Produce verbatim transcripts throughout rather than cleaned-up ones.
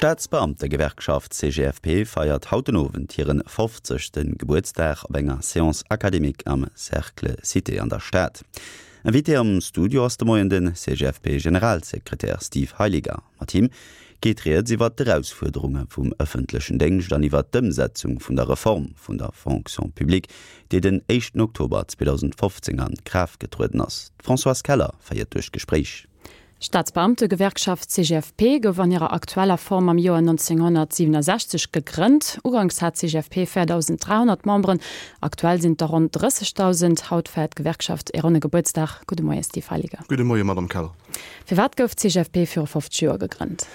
D'Staatsbeamtegewerkschaft C G F P feiert haut den Owend hiren fofzegste Gebuertsdag op enger Séance académique am Cercle Cité an der Stad. Invité am Studio ass de Moien den C G F P-Generalsekretär Steve Heiliger. Mat him geet rieds iwwer d'Erausfuerderunge vum ëffentlechen Déngscht an iwwer d'Ëmsetzung vun der Reform vun der Fonction publique, déi den éischten Oktober zweedausendfofzéng a Kraaft getrueden ass. D'Françoise Keller féiert duerch d'Gespréich. Staatsbeamtegewerkschaft C G F P gouf an hirer aktueller Form am Joer nonzénghonnertsiwwenasechzeg gegrënnt. Uganks hat d'C G F P véierdausend dräihonnert Memberen, aktuell sinn et der ronn drëssegdausend. Haut feiert d'Gewerkschaft e ronne Gebuertsdag. Gudde Moie Steve Heiliger. Gudde Moie Madame Keller. Firwat gouf d'C G F P viru fofzeg Joer gegrënnt?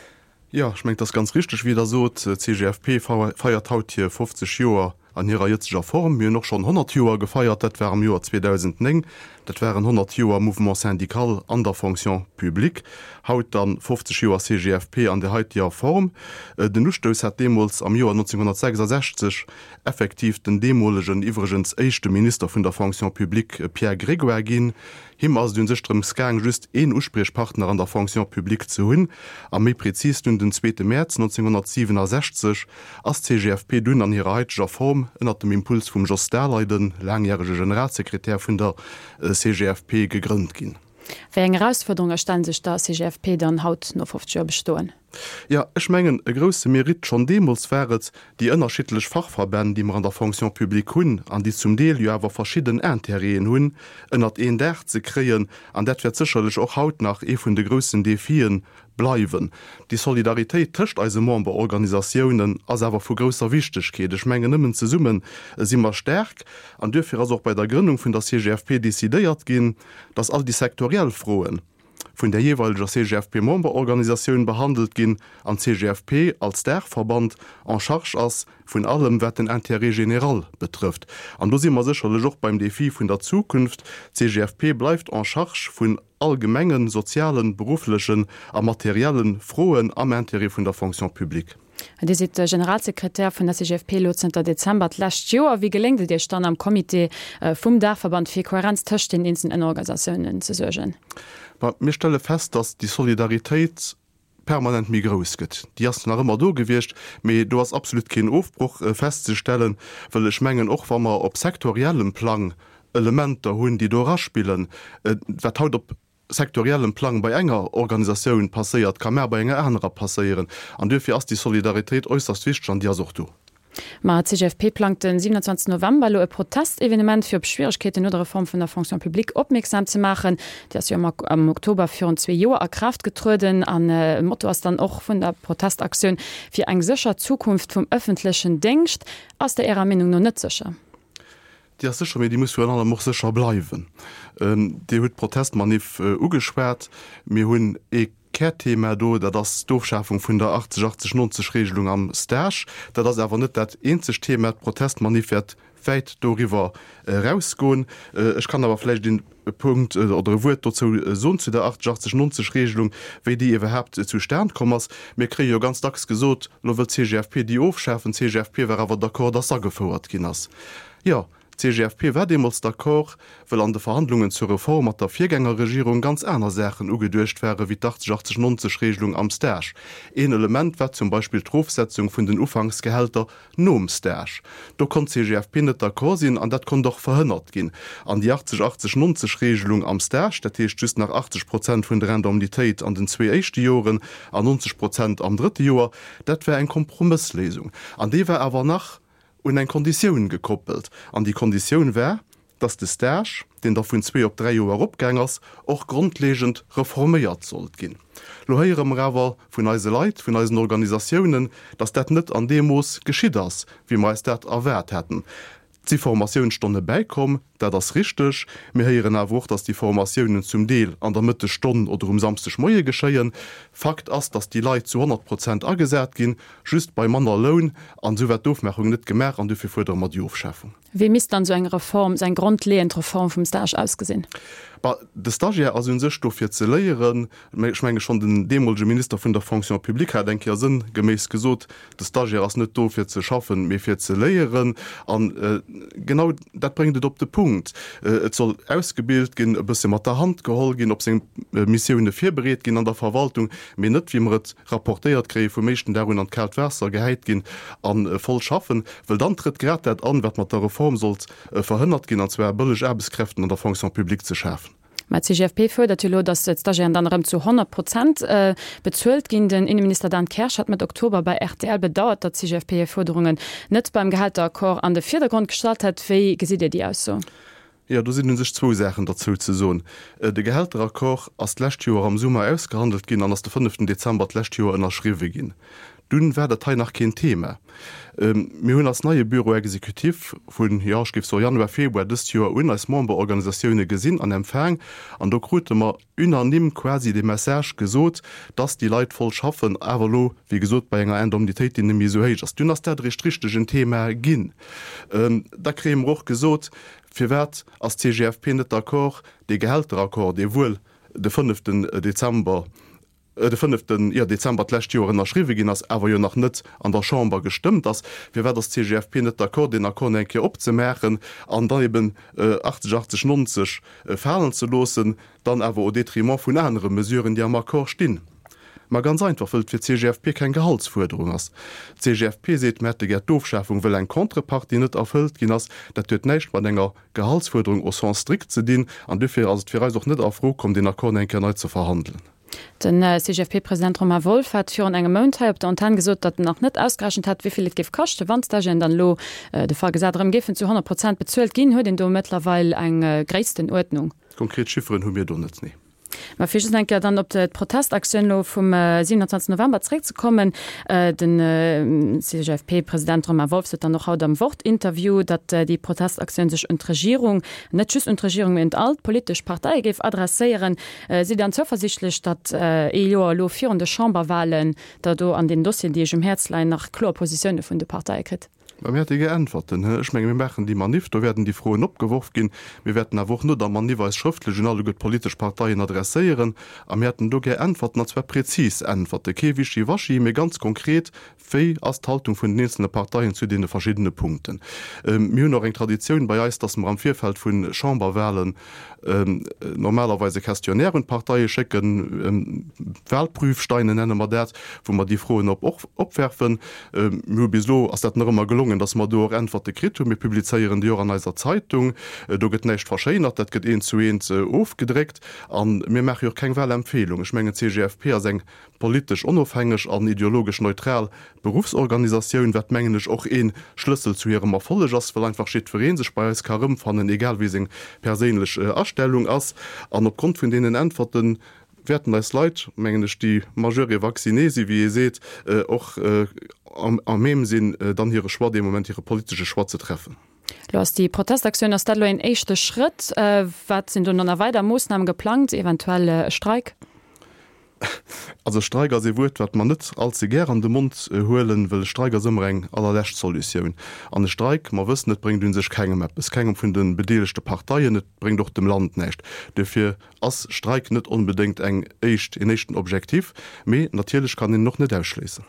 Jo, ech mengen, dat ass ganz richteg, wéi Der sot. D C G F P feiert haut hir fofzeg Joer an hirer jëtzeger Form. Mir hunn och schonn honnert Joer gefeiert, dat war am Joer zweedausendnéng. Dat waren honnert Joer Mouvement syndical an der Fonction publique. Haut dann fofzeg Joer C G F P an der haiteger Form. Den Ustouss hat deemools am Joer nonzénghonnertsechsasechzeg effektiv den deemolegen, iwwregens éischte Minister vun der Fonction publique Pierre Grégoire ginn. Him ass et u sech drëms gaang, just een Uspriechpartner an der Fonction publique ze hunn. A méi prezis dunn den zweete Mäerz nonzénghonnertsiwwenasechzeg ass d'C G F P dunn an hirer haiteger Form ënnert dem Impuls vum Jos Daleiden, laangjärege Generalsekretär vun der C G F P, gegrënnt ginn. Wéi eng Erausfuerderunge stellen sech der C G F P dann haut no fofzeg Joer Bestoen? Jo, ech mengen, e grousse Mérite schonn deemools war et, déi ënnerschiddlech Fachverbänn, déi mer an der Fonction publique hunn an déi zum Deel jo awer verschidden Intérêten hunn, ënnert een Daach ze kréien. An dat wäert sécherlech och haut nach ee vun de groussen Defien bleiwen. Déi Solidaritéit tëscht eise Memberorganisatiounen ass awer vu grousser Wichtegkeet. Ech mengen, nëmmen zesumme si mer staark. An duerfir ass och bei der Grënnung vun der C G F P decidéiert ginn, dass all déi sektoriell Froen vun der jeeweileger C G F P-Memberorganisatioun behandelt ginn an d'C G F P als Daachverband en charge ass vun allem, wat den Intérêt général betrëfft. An do si mer sécherlech och beim Defi vun der Zukunft. D C G F P bleift en charge vun allgemengen, sozialen, berufflechen a materielle Froen am Intérêt vun der Fonction publique. Dir sidd Generalsekretär vun der C G F P elo zënter Dezember d'lescht Joer. Wéi geléngt et Iech dann am Comité vum Daachverband fir Kohärenz tëscht den eenzelen Ënnerorganisatiounen ze suergen? Mir stelle fest, dass déi Solidaritéit permanent méi grouss gëtt. Déi ass nach ëmmer do gewiescht, mee do ass absolut keen Ofbroch festzestellen, well ech mengen, och wa mer op sektoriellem Plang Elementer hunn, déi do eraspillen, wat haut op sektoriellem Plang bei enger Organisatioun passéiert, ka mar bei enger anerer passéieren. An duerfir ass déi Solidaritéit äusserst wichteg an déi ass och do. Ma d'C G F P plangt den siewenundzwanzegsten November elo e Protestevenement fir op Schwieregkeeten no der Reform vun der Fonction publique opmierksam ze maachen. Déi ass jo am Oktober virun zwee Joer a Kraaft getrueden an Motto ass dann och vun der Protestaktioun fir eng sécher Zukunft vum ëffentlechen Déngscht. Ass déi Ärer Meenung no net sécher? Déi ass sécher, mee déi muss virun allem och sécher bleiwen. Dir hutt d'Protestmanif ugeschwat. Mir hunn ee Kärthema do, dat ass d'Ofschafung vun der achtzeg achtzeg nonzeg Regelung am Stage. Dat ass awer net dat eenzegt Thema. D'Protestmanif wäert wäit doriwwer erausgoen. Ech kann awer vläicht een Punkt oder e Wuert dozou soen zu der achtzeg achtzeg nonzeg Regelung, wéi déi iwwerhaapt zustan komm ass. Mir kréie jo ganz dacks gesot, elo wëllt d'C G F P déi ofschafen. D'C G F P war awer d'accord, dass se agefouert ginn ass. Jo, d'C G F P war deemools d'accord, well an de Verhandlungen zur Reform mat der Virgängerregierung ganz aner Saachen ugeduecht ware wéi d'achtzeg achtzeg nonzeg Regelung am Stage. Een Element war zum Beispill d'Erofsetzung vun den Ufanksgehälter nom Stage. Do konnt d'C G F P net d'accord sinn an dat konnt och verhënnert ginn. An déi achtzeg achtzeg nonzeg Regelung am Stage, dat heescht just nach achtzeg Prozent vun der Indemnitéit an den zwee éischte Joren an nonzeg Prozent am drëtte Joer, dat war eng Kompromëssléisung. An déi war awer nach un eng Konditioun gekoppelt. An déi Konditioun war, dass de Stage, deen da vun zwee op dräi Joer eropgaang ass, och grondlegend reforméiert sollt ginn. Lo héiere mer awer vun eise Leit, vun eisen Organisatiounen, dass dat net an deem Mooss geschitt ass, wéi mer eis dat erwaart haten. Et si Formatiounsstonne bäikomm, dat ass richteg. Mir héieren awer och, dass déi Formatiounen zum Deel an der Mëttesstonn oder um Samschdegmoie geschéien. Fakt ass, dass déi Leit zu honnert Prozent agesat ginn, just bei manner Loun. An esou war d'Ofmaachung net gemaach an dofir fuerdere mer déi Ofschafung. Wéi misst dann esou eng Reform, esou eng grondleeënd Reform vum Stage ausgesinn? Bah, de Stagiaire ass u sech do fir ze léieren. Mä ech menge schonn den deemolege Minister vun der Fonction publique hat eng Kéier sënngeméiss gesot, De Stagiaire ass net do fir ze schaffen, mee fir ze léieren. An genau dat bréngt et op de Punkt. Et soll ausgebilt ginn, e bësse mat der Hand geholl ginn, op seng Missioune virbereet ginn an der Verwaltung, mee net, wéi mer et rapportéiert kréie vum éischten Dag un an d'kaalt Waasser gehäit ginn a voll schaffen, well dann trëtt grad dat an, wat mat der Reform sollt verhënnert ginn, an zwar bëlleg Aarbechtskräften an der Fonction publique ze schafen. Mä d'CGFP fuerdert jo elo, datt d'Stagiairen dann erëm zu honnert Prozent bezuelt ginn. Den Inneminister Dan Kersch hat Mëtt Oktober bei rtl bedauert, datt d'CGFP hir Fuerderungen net beim Gehälteraccord an de Virdergrond gestallt hätt. Wéi gesitt Dir déi Ausso? Jo, do sinn u sech zwou Saachen derzou ze soen. De Gehälteraccord ass d'lescht Joer am Summer ausgehandelt ginn an ass de fënneften Dezember d'lescht Joer ënnerschriwwe ginn. Dunn war dat hei nach keen Thema. Mir hunn als neie Bureau exécutif vun, jo, ech géif soen Januar, Februar dëst Joer un eis Memberorganisatioune gesinn an empfaang an do krute mer unanime quasi de Message gesot, dass déi Leit voll schaffen, awer elo, wéi gesot, bei enger Indemnitéit, déi net méi esou héich ass. Dunn ass dat eréischt richteg en Thema ginn. Da kréie mer och gesot, Firwat ass d'CGFP net d'accord, dee Gehälteraccord, dee wuel de fënneften Dezember, de fënneften, jo, Dezember d'lescht Joer ënnerschriwwe ginn ass, awer jo nach net an der Chamber gestëmmt ass, firwat ass d'CGFP net d'accord, deen Accord nach eng Kéier opzemaachen an dann eben achtzeg, achtzeg, nonzeg falen ze loossen, dann awer au détriment vun anere Mesuren, déi am Accord stinn? Ma ganz einfach, wëll et fir d'CGFP keng Gehaltsfuerderung ass. D'CGFP seet, mir hätte gär d'Ofschafung, wëll eng Contrepartie net erfëllt ginn ass. Dat huet näischt mat enger Gehaltsfuerderung au sens strict ze dinn an duerfir ass et fir eis och net a Fro komm, deen Accord nach eng Kéier nei ze verhandelen. Den C G F P-President Romain Wolff hat virun engem Mount hei op der Antenn gesot, datt en nach net ausgerechent hätt, wéi vill et géif kaschten, wann d'Stagiairen dann elo, de Fall gesat, erëm géifen zu honnert Prozent bezuelt ginn. Huet een do mëttlerweil eng Gréisstenuerdnung? Konkret Chifferen hu mir do net, nee. Mä fir just eng Kéier dann op d'Protestaktioun elo vum siewenundzwanzeg November zréckzekommen, Den C G F P-President Romain Wolff sot dann och haut am Wort-Interview, datt déi Protestaktioun sech un d'Regierung, net just un d'Regierung, mee un all d'politesch Parteie géif adresséieren. Sidd Dir dann zouversiichtlech, datt ee Joer elo virun de Chamberwahlen Der do an deenen Dossieren, déi Iech um Häerz leien, nach kloer Positioune vun de Parteie kritt? Mä mir hätte gär Äntwerten. Ech menge mir maachen déi Maniff, do wäerten déi Froen opgeworf ginn. Mir wäerten awer och no der Maniff eis schrëftlech un alleguer d'politesch Parteien adresséieren a mir hätten do gär Äntwerten, an zwar prezis Äntwerten, kee Wischiwaschi, mee ganz konkret, Wéi ass d'Haltung vun den eenzelne Parteien zu deene verschiddene Punkten? Mir hunn och eng Traditioun bei eis, dass mer am Virfeld vu Chamberwahlen normalerweis e Questionnaire un d'Parteie schécken, Wahlprüfsteine nenne mer dat, wou mer déi Froen op och opwerfen. Mir hu bis elo, ass dat nach ëmmer gelongen, dass mer do och Äntwerte kritt hunn. Mir publizéieren déi och an eiser Zeitung. Do gëtt näischt verschéinert, dat gëtt eent zu eent ofgedréckt. A mir maache jo och keng Wahlempfehlung. Ech mengen, d'C G F P ass eng politesch onofhängeg an ideologesch neutral Beruffsorganisatioun, wat mengen ech och ee Schlëssel zu hirem Erfolleg ass, well einfach jiddweree sech bei eis ka rëmfannen, egal wéi seng perséinlech Astellung ass. An opgrond vun deenen Äntwerte wäerten eis Leit, mengen ech, déi majeur et vacciné si wéi ee seet, och à même sinn, dann hire Choix dee Moment, hire politesche Choix ze treffen. Lo ass déi Protestaktioun, ass dat elo een éischte Schrëtt? Wat sinn do nach weider Moossname geplangt, eventuell e Streik? Also Streik ass ee Wuert, wat mer net all ze gär an de Mond huelen, well e Streik ass ëmmer eng allerlescht Solutioun. An e Streik, mer wëssen et, bréngt u sech kengem eppes, kengem vun de bedeelegte Parteien, et bréngt och dem Land näischt. Duerfir ass Streik net onbedéngt eng éischt, een éischten Objektiv, mee natierlech kann een en och net ausschléissen.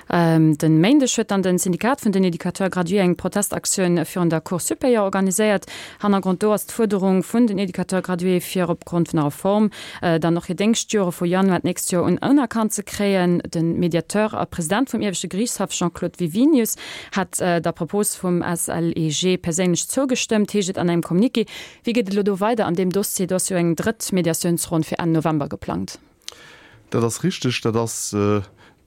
Den Méindeg huet dann den Syndikat vun den Educateurs gradués eng Protestaktioun virun der Cour supérieure organiséiert. Hannergrond do ass d'Fuerderung vun den Educateurs gradués fir opgrond vun der Reform dann och hir Déngschtjore vu Januar d'nächst Joer un unerkannt ze kréien. Den Mediateur a President vum Ieweschte Geriichtshaff Jean-Claude Wiwinius hat der Propos vum S L E G perséinlech zougestëmmt, heescht et an engem Communiqué. Wéi geet et elo do weider an deem Dossier? Do ass jo eng drëtt Mediatiounsronn fir Enn November geplangt. Dat ass richteg. Dat ass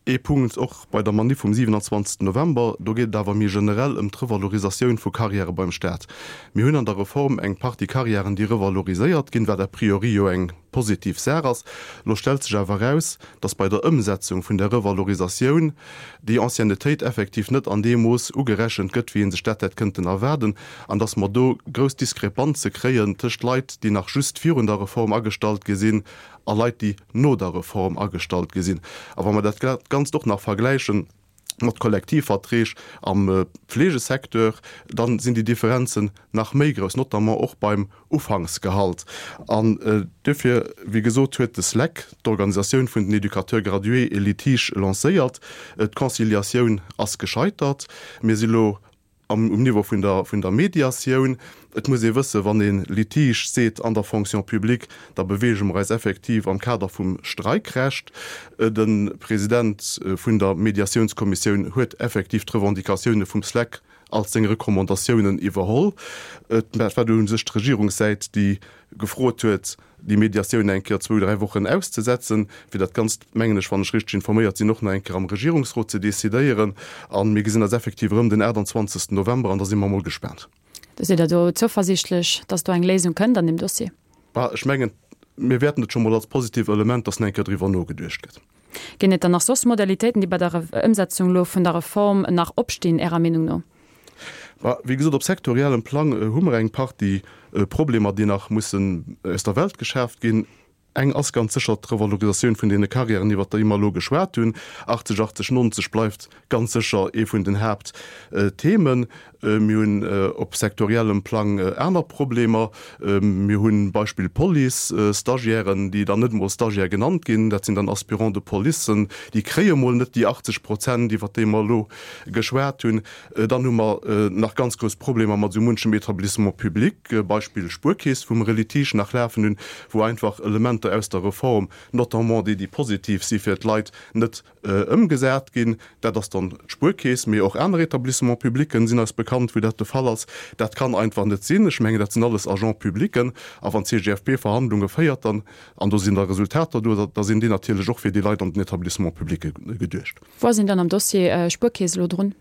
ee Punkt och bei der Maniff vum siewenundzwanzegsten November. Do geet et awer méi generell ëm d'Revalorisatioun vu Karriäre beim Staat. Mir hunn an der Reform eng Partie Karriären, déi revaloriséiert ginn, wat a priori jo eng positiv Saach ass. Lo stellt sech awer eraus, dass bei der Ëmsetzung vun der Revalorisatioun déi Anciennetéit effektiv net an deem Mooss ugerechent gëtt, wéi ee sech dat hätt kënnten erwaarden, an dass mer do grouss Diskrepanze kréien tëscht Leit, déi nach just virun der Reform agestallt gi sinn, a Leit, déi no der Reform agestallt gi sinn. A wa mer dat Ganzt och nach vergläichen mat Kollektivverträg am Pflegesecteur, dann sinn déi Differenzen nach méi grouss, notamment och beim Ufanksgehalt. An duerfir, wéi gesot, huet de SLEC, d'Organisatioun vun den Éducateurs gradués, e Litige lancéiert. D'Conciliatioun ass gescheitert. Mir si lo am um Niveau vun der vun der Mediatioun. Et muss ee wëssen, wann ee Litige seet an der Fonction publique, da beweege mer eis effektiv am Kader vum Streikrecht. De President vun der Mediatiounskommissioun huet effektiv d'Revendicatioune vum SLEC als seng Recommandatiounen iwwerholl. Et war u sech d'Regierungssäit, déi gefrot huet, déi Mediatioun eng Kéier zwou, dräi Wochen auszesetzen, fir dat Ganzt, mengen ech, wann ech richteg informéiert sinn, och nach eng Kéier am Regierungsrot ze decidéieren. A mir gesinn eis effektiv erëm den aachtanzwanzegsten November an da si mer emol gespaant. Da sidd Der do zouversiichtlech, dass do eng Léisung kënnt an deem Dossier? Bah, ech mengen, mir wäerten et scho mol als positiv Element, dass nach eng Kéier driwwer nogeduecht gëtt. Ginn et dann nach soss Modalitéiten, déi bei der Ëmsetzung elo vun der Reform nach opstinn, Ärer Meenung no? Bah, wéi gesot, op sektoriellem Plang hu mer eng Partie Problemer, déi nach mussen aus der Welt geschaaft ginn. Eng ass ganz sécher d'Revalorisatioun vun deene Carrièren, iwwert déi mer elo geschwat hunn. Achtzeg, achtzeg, nonzeg bleift ganz sécher ee vun den Haaptthemen. Mir hunn op sektoriellem Plang aner Problemer. Mir hunn, Beispill Police, Stagiairen, déi dann net emol Stagiaire genannt ginn, dat sinn dann Aspirants de policen, déi kréie mol net déi achtzeg Prozent, iwwert déi mer elo geschwat hunn. Dann hu mer nach ganz grouss Problemer mat esou munchem Etablissement public, Beispill Spuerkeess, wou mer e Litige nach lafen hunn, wou einfach Elementer aus der Reform, notamment déi, déi positiv si fir d'Leit, net ëmgesat ginn. Dat ass dann d'Spuerkeess, mee och aner Etablissements publics sinn eis bekannt, wou dat de Fall ass. Dat kann einfach net sinn. Ech mengen, dat sinn alles Agents publics. A wann d'CGFP Verhandlunge féiert, dann, an do sinn da Resultater do, da sinn déi natierlech och fir déi Leit an den Etablissements publicë geduecht. Wou ass een dann am Dossier Spuerkeess elo drun?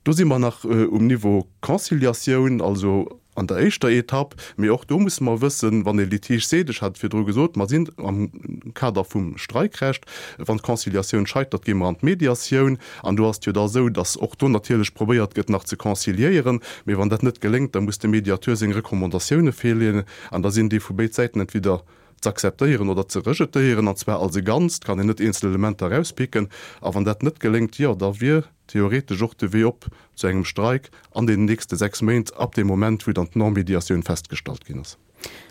Do si mer nach um Niveau Conciliatioun, also an der éischter Etapp. Mee och do musse mer wëssen, wann ee Litige seet, ech hat et virdru gesot, mer sinn am Kader vum Streikrecht, wann d'Conciliatioun scheitert, gi mer an d'Mediatioun. An do ass et jo da esou, datt och do natierlech probéiert gëtt nach ze conciliéieren. Mee wann dat net geléngt, da muss de Mediateur seng Recommandatioune virleeën an da sinn déi vu béid Säiten entweder z'akzeptéieren oder ze rejetéieren, an zwar als e Ganzt, kann een net eenzel Elementer erauspicken. A wann dat net geléngt, jo, da wier theoretesch och de Wee op zu engem Streik an deenen nächste sechs Méint, ab deem Moment, wou dann d'Non-Mediatioun festgestallt ginn ass.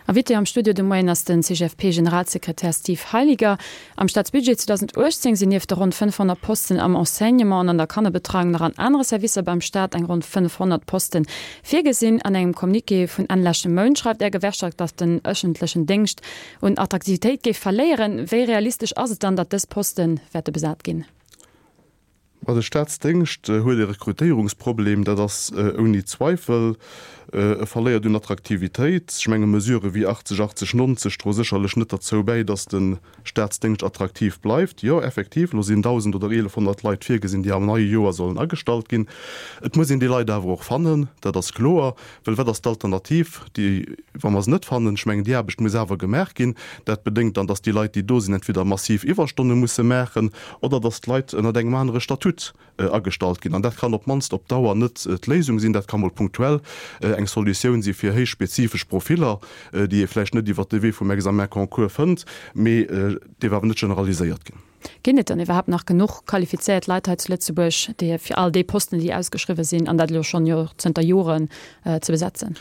Invité am Studio de Moien ass den C G F P-Generalsekretär Steve Heiliger. Am Staatsbudget zweedausendachtzéng sinn nieft de ronn fënnefhonnert Posten am Enseignement an an der Kannerbetreiung nach an anere Servicer beim Staat eng ronn fënnefhonnert Poste virgesinn. An engem Communiqué vun Enn leschte Mount schreift Är Gewerkschaft, datt den ëffentlechen Déngscht un Attraktivitéit géif verléieren. Wéi realistesch ass et dann, datt dës Poste wäerte besat ginn? Ma de Staatsdéngscht huet e Rekrutéierungsproblem, dat ass ouni Zweifel. E verléiert un Attraktivitéit. Ech menge Mesurë wéi achtzeg, achtzeg, nonzeg droe sécherlech net derzou bäi, datt de Staatsdéngscht attraktiv bleift. Jo, effektiv, elo sinn dausend oder eelefhonnert Leit virgesinn, déi am neie Joer sollen agestallt ginn. Et muss een déi Leit awer och fannen, dat ass kloer. Well wat ass d'Alternativ, déi, wa mer se net fannen? Ech mengen, déi Aarbecht muss awer gemaach ginn. Dat bedéngt dann, datt déi Leit, déi do sinn, entweder massiv Iwwerstonne musse maachen oder datt d'Leit ënnert engem anere Statut agestallt ginn. An dat kann op d'mannst op Dauer net d'Léisung sinn. Dat ka mol punktuell eng Solutioun si fir héich spezifesch Profiller, déi ee vläicht net iwwert de Wee vum Examen-concours fënnt, mee dierf awer net generaliséiert ginn. Ginn et dann iwwerhaapt nach genuch qualifizéiert Leit hei zu Lëtzebuerg, déi fir all déi Posten, déi ausgeschriwwen sinn, an dat elo schonn jo zënter Joren, ze besetzen?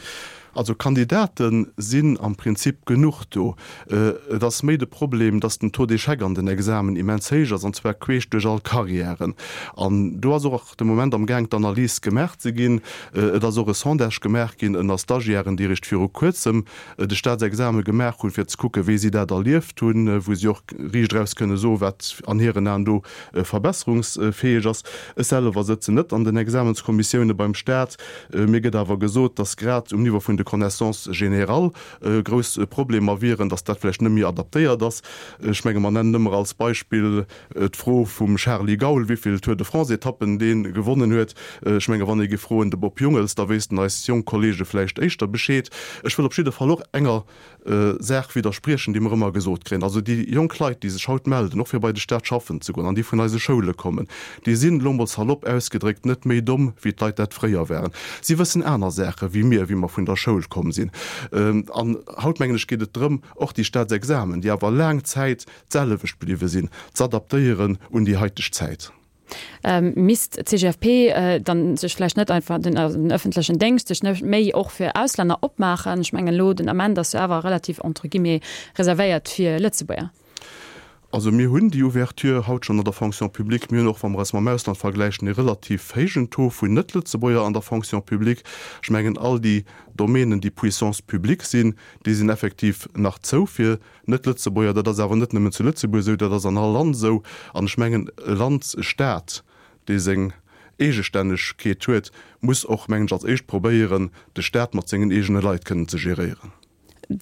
Also Kandidate sinn am Prinzip genuch do. Et ass méi de Problem, datt den Taux d'échec an den Examen immens héich ass, an zwar queesch duerch all Carrièren. An do ass och de Moment am Gaang d'Analys gemaach ze ginn. Et ass och e Sondage gemaach ginn ënner Stagiairen, déi eréischt viru kuerzem de Staatsexame gemaach hunn, fir ze kucken, wéi si dat erlieft hunn, wou si och riicht eraus kënne soen, wat an hiren Aen do verbesserungsfäeg ass. Ech selwer sëtzen net an den Examenskommissioune beim Staat. Mir gëtt awer gesot, datt grad um Niveau vun de Connaissances générales grouss Problemer wieren, datt dat vläicht net méi adaptéiert ass. Ech menge mer nennen ëmmer als Beispill d'Fro vum Charly Gaul, wéivill Tour de France-Etappen dee gewonnen huet. Ech menge wann ee géif froen de Bob Jungels, da wéissten eis jonk Kollege vläicht éischter Bescheed. Ech wëll op jidde Fall och enger Saach widderspriechen, déi mer ëmmer gesot kréien, Also déi jonk Leit, déi sech haut melden, och fir bei de Staat schaffen ze goen an déi vun eise Schoule kommen, déi sinn, elo mol salopp ausgedréckt, net méi domm, wéi d'Leit dat fréier waren. Si wëssen aner Saache wéi mir, wéi mer vun der Schoul komm sinn. An haut, mengen ech, geet et drëm, och déi Staatsexamen, déi awer laang Zäit d'selwecht bliwwe sinn, z'adaptéieren un déi haiteg Zäit. Misst d'CGFP dann sech vläicht net einfach den den öffentlechen Déngscht sech net méi och fir Auslänner opmaachen? Ech mengen elo den Ament ass jo awer relativ entre guillemets reservéiert fir Lëtzebuerger. Also mir hunn déi Ouverture haut schonn an der Fonction publique. Mir hunn och, wa mer eis mam Ausland vergläichen, e relativ héijen Taux vun Net-Lëtzebuerger an der Fonction publique. Ech mengen, all déi Domänen, déi Puissance publique sinn, déi sinn effektiv nach zou fir Net-Lëtzebuerger. Dat ass awer net nëmmen zu Lëtzebuerg esou, dat ass an all Land esou. An ech mengen, e Land, e Stat, dee seng Eegestännegkeet huet, muss och, mengen ech, als éischt probéieren, de Stat mat sengen eegene Leit kënnen ze geréieren.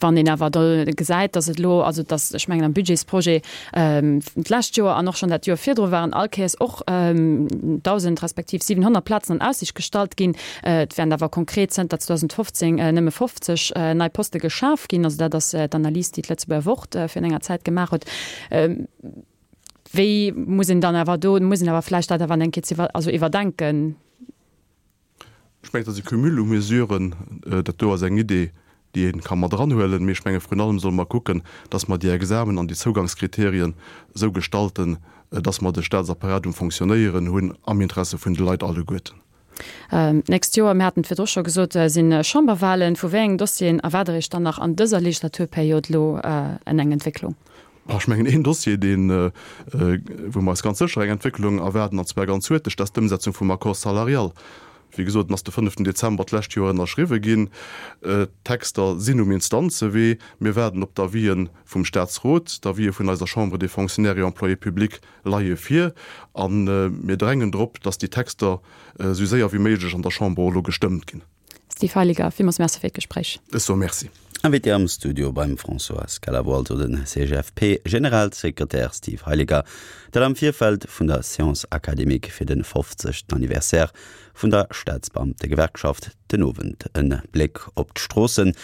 Wann een awer do gesäit, datt et elo, also datt, ech mengen am Budgetsprojet d'lescht Joer an och schonn dat Joer virdru waren all Kéiers och dausend respektiv siwenhonnert Plazen an Aussicht gestallt ginn, et wären awer konkret zënter zweedausendfofzéng nëmme fofzeg nei Poste geschaf ginn. Also dat ass d'Analys, déi d'Lëtzebuerger Wort virun enger Zäit gemaach huet. Wéi muss een dann awer do, muss een awer vläicht dat awer eng Kéier iwwer, also iwwerdenken? Ech mengen, et ass e Cumul u Mesuren. Dat do ass eng Idee, déi ee ka mat eranhuelen. Mee ech menge vrun allem solle mer kucken, dass mer déi Examen an déi Zougangskriterien esou gestalten, dass mer de Statsapparat um Fonctionnéieren hunn am Interesse vun de Leit alleguerten. D'nächst Joer, mir haten et virdru scho gesot, si Chamberwahlen. Vu wéi engen Dossieren erwaart Der Iech dann nach an dëser Legislaturperiod elo eng Entwécklung? Ech mengen, een Dossier, deen, wou mer eis ganz sécher eng Entwécklung erwaarden, an zwar ganz huerteg, dat ass d'Ëmsetzung vum Accord salarial. Wéi gesot, en ass de fënneften Dezember d'lescht Joer ënnerschriwwe ginn. D'Texter sinn um Instanzewee. Mir waarden op d'Avisë vum Statsrot. D'Avisë vun eiser Chambre des Fonctionnaires et Employés publics leie vir. A mir drängen drop, dass déi Texter esou séier wéi méiglech an der Chamber och elo gestëmmt ginn. Steve Heiliger, villmools Merci fir d'Gespréich. Ech soe Merci. Invité am Studio beim Françoise Keller wor also den C G F P Generalsekretär Steve Heiliger, dat am Virfeld vun der Séance académique fir de fofzegsten Anniversaire vun der Staatsbeamtegewerkschaft den Owend. E Bléck op d'Stroossen.